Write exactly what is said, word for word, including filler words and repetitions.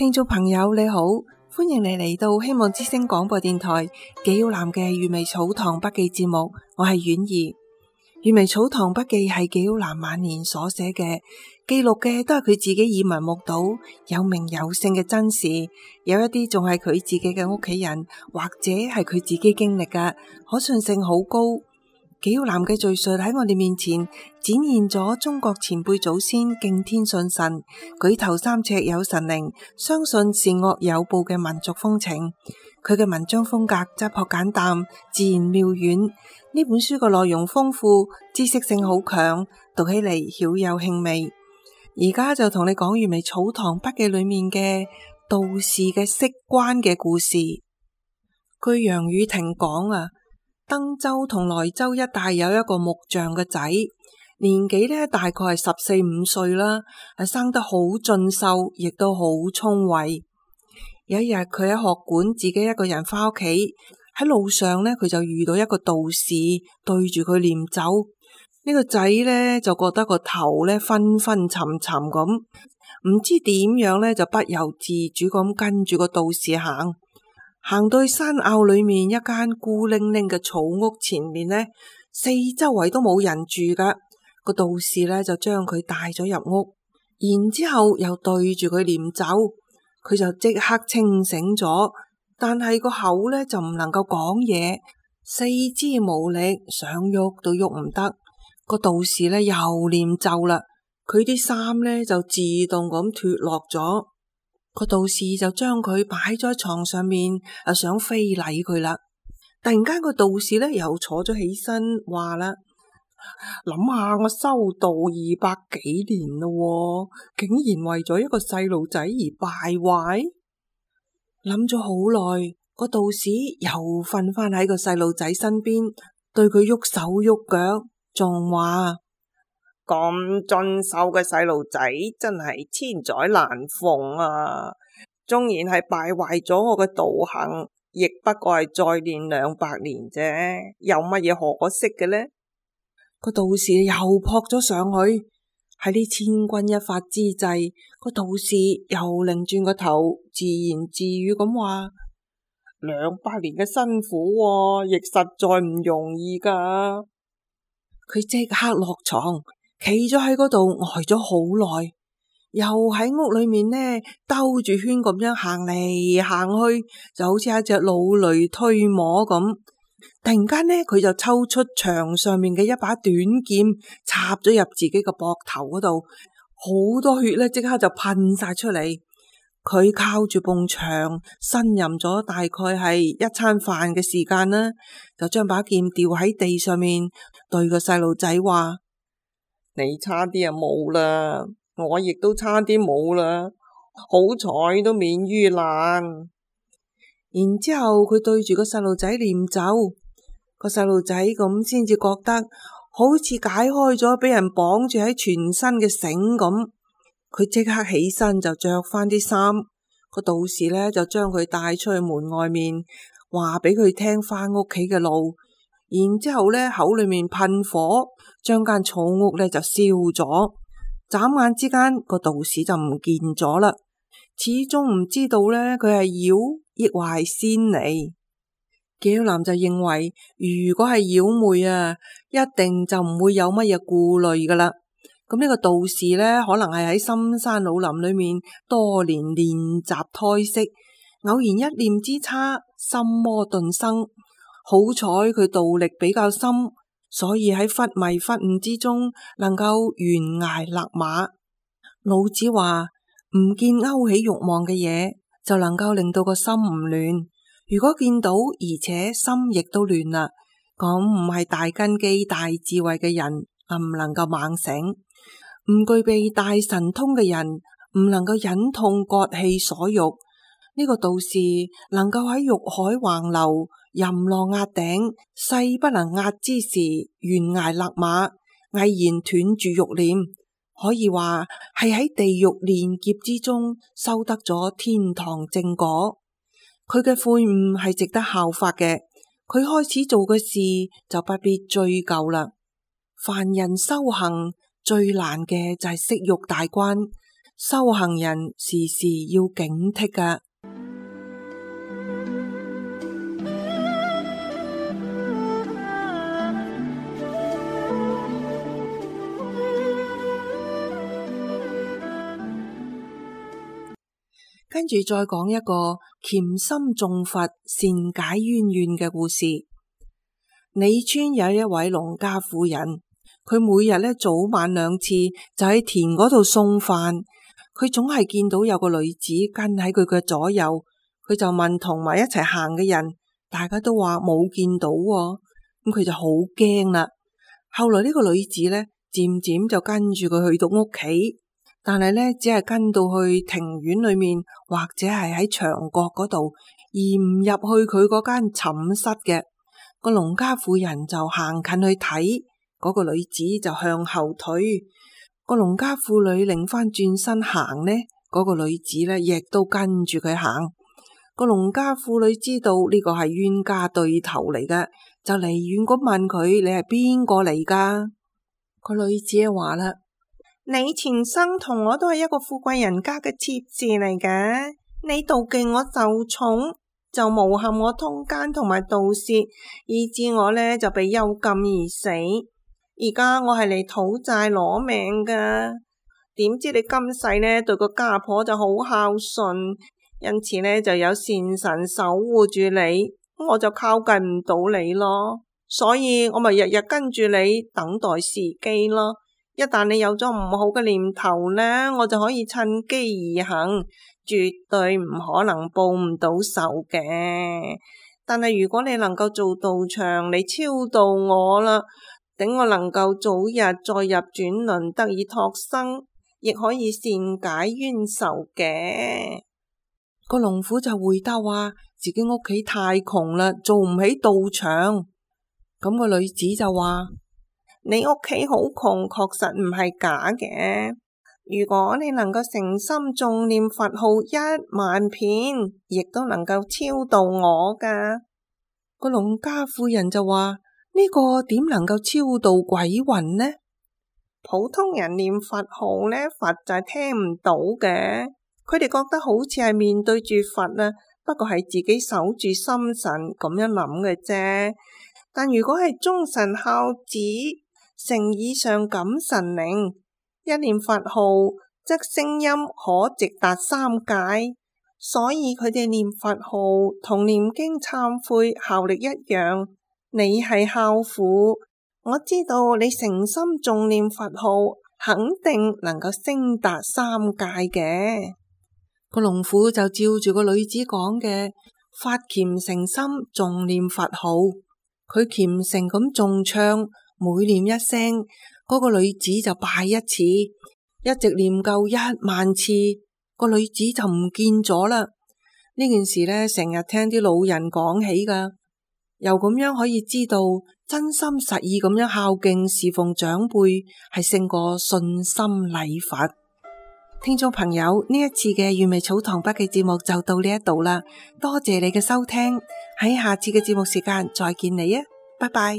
聽眾朋友你好，歡迎你嚟到希望之聲廣播電台紀曉嵐嘅閱微草堂筆記節目，我係婉兒。閱微草堂筆記係紀曉嵐晚年所寫嘅，記錄嘅都係佢自己耳聞目睹、有名有姓嘅真事，有一啲仲係佢自己嘅屋企人或者係佢自己經歷嘅，可信性好高。紀曉嵐嘅敘述喺我哋面前展現咗中國前輩祖先敬天信神、舉頭三尺有神靈、相信善惡有報嘅民族風情。佢嘅文章風格質樸簡淡、自然妙遠。呢本書嘅內容豐富，知識性好強，讀起嚟曉有興味。而家就同你講閱微草堂筆記裏面嘅道士嘅釋關嘅故事。據楊宇霆講啊，登州同萊州一帶有一個木匠嘅仔，年紀呢大概係十四五歲啦，係生得好俊秀，亦都好聰慧。有一日佢喺學館自己一個人翻屋企，喺路上呢，佢就遇到一個道士對住佢念咒。呢個仔呢，就覺得個頭呢昏昏沉沉咁，唔知點樣呢，就不由自主咁跟住個道士行。行到去山坳裏面一間孤零零嘅草屋前面呢，四周圍都冇人住噶。個道士呢，就將佢帶咗入屋，然之後又對住佢念咒，佢就即刻清醒咗，但係個口呢，就唔能夠講嘢，四肢無力，想喐都喐唔得。個道士呢，又念咒啦，佢啲衫呢，就自動咁脫落咗。個道士就將佢擺咗喺床上面，啊想非禮佢啦。突然間個道士呢又坐咗起身，話啦：諗下我修道二百幾年咯，竟然為咗一個細路仔而敗壞。諗咗好耐，個道士又瞓翻喺個細路仔身邊，對佢喐手喐腳，仲話：咁俊秀嘅細路仔真係千載難逢啊！縱然係敗壞咗我嘅道行，亦不過係再練兩百年啫，有乜嘢可惜嘅呢？個道士又撲咗上去，喺呢千鈞一髮之際，個道士又擰轉個頭，自言自語咁話：兩百年嘅辛苦啊，亦實在唔容易噶。佢即刻落床，企咗喺嗰度呆咗好耐，又喺屋裏面呢兜住圈咁樣行嚟行去，就好似一隻老驢推磨咁。突然間呢，佢就抽出牆上面嘅一把短劍，插咗入自己個膊頭嗰度，好多血呢即刻就噴晒出嚟。佢靠住埲牆呻吟咗大概係一餐飯嘅時間啦，就將把劍掉喺地上面，對個細路仔話：你差啲啊冇啦，我亦都差啲冇啦，好彩都免於難。然之後佢對住個細路仔念咒，個細路仔咁先至覺得好似解開咗俾人綁住喺全身嘅繩咁。佢即刻起身就着翻啲衫，個道士呢，就將佢帶出去門外面，話俾佢聽翻屋企嘅路。然之後呢，口裏面噴火，將間草屋呢就燒咗。眨眼之間，個道士就唔見咗啦。始終唔知道呢，佢係妖亦或係仙嚟。紀曉嵐就認為，如果係妖魅啊，一定就唔會有乜嘢顧慮噶啦。咁呢個道士呢，可能係喺深山老林裏面多年練習胎息，偶然一念之差，心魔頓生。好彩佢道力比較深，所以喺忽迷忽悟之中，能夠懸崖勒馬。老子話：唔見勾起欲望嘅嘢，就能夠令到個心唔亂。如果見到而且心亦都亂啦，咁唔係大根基大智慧嘅人，唔能夠猛醒。唔具備大神通嘅人，唔能夠忍痛割氣所欲。呢個道士能夠喺欲海橫流、淫浪壓頂、勢不能壓之時，懸崖勒馬，毅然斷住欲念，可以話係喺地獄煉劫之中修得咗天堂正果。佢嘅悔悟係值得效法嘅，佢開始做嘅事就不必追究啦。凡人修行最難嘅就係息欲大關，修行人時時要警惕㗎。跟住再講一個潛心重佛善解冤怨嘅故事。李村有一位農家婦人，佢每日咧早晚兩次就喺田嗰度送飯，佢總係見到有個女子跟喺佢嘅左右，佢就問同埋一齊行嘅人，大家都話冇見到喎，咁佢就好驚啦。後來呢個女子咧漸漸就跟住佢去到屋企。但係咧，只係跟到去庭院裏面，或者係喺牆角嗰度，而唔入去佢嗰間寢室嘅。個農家婦人就行近去睇，嗰個女子就向後退。個農家婦女擰翻轉身行呢，嗰個女子咧亦都跟住佢行。個農家婦女知道呢個係冤家對頭嚟嘅，就離遠咁問佢：你係邊個嚟噶？個女子話啦：你前生同我都係一個富貴人家嘅妾侍嚟嘅，你妒忌我受寵，就誣陷我通姦同埋盜竊，以致我呢就被幽禁而死。而家我係嚟討債攞命噶，點知你今世呢對個家婆就好孝順，因此呢就有善神守護住你，我就靠近唔到你咯，所以我咪日日跟住你等待時機咯。一旦你有咗唔好嘅念頭呢，我就可以趁機而行，絕對唔可能報唔到仇嘅。但係如果你能夠做道場嚟超度我啦，等我能夠早日再入轉輪得以托生，亦可以善解冤仇嘅。個農婦就回答話自己屋企太窮啦，做唔起道場。咁個女子就話：你屋企好窮，確實唔係假嘅。如果你能夠誠心誦念佛號一萬遍，亦都能夠超度我噶。個農家婦人就話：呢個點能夠超度鬼魂呢？普通人念佛號呢，佛就係聽唔到嘅。佢哋覺得好似係面對住佛啊，不過係自己守住心神咁樣諗嘅啫。但如果係忠臣孝子，誠意上感神靈，一念佛號則聲音可直達三界，所以佢哋念佛號同念經懺悔效力一樣。你係孝婦，我知道你誠心誦念佛號，肯定能夠升達三界嘅。個農婦就照住個女子講嘅，發虔誠心誦念佛號，佢虔誠咁誦唱。每念一聲，嗰個女子就拜一次，一直念夠一萬次，個女子就唔見咗啦。呢件事呢，成日聽啲老人講起噶，又咁樣可以知道真心實意咁樣孝敬侍奉長輩，係勝過信心禮佛。聽眾朋友，呢一次嘅原味草堂筆記節目就到呢一度啦，多謝你嘅收聽，喺下次嘅節目時間再見你啊，拜拜。